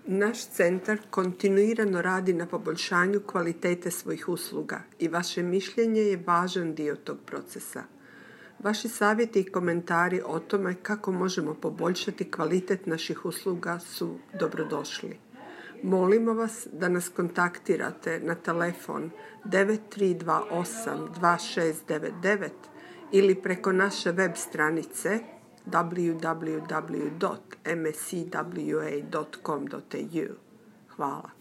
Naš centar kontinuirano radi na poboljšanju kvalitete svojih usluga i vaše mišljenje je važan dio tog procesa. Vaši savjeti i komentari o tome kako možemo poboljšati kvalitet naših usluga su dobrodošli. Molimo vas da nas kontaktirate na telefon 9328 2699 ili preko naše web stranice www.mscwa.com.au. Hvala.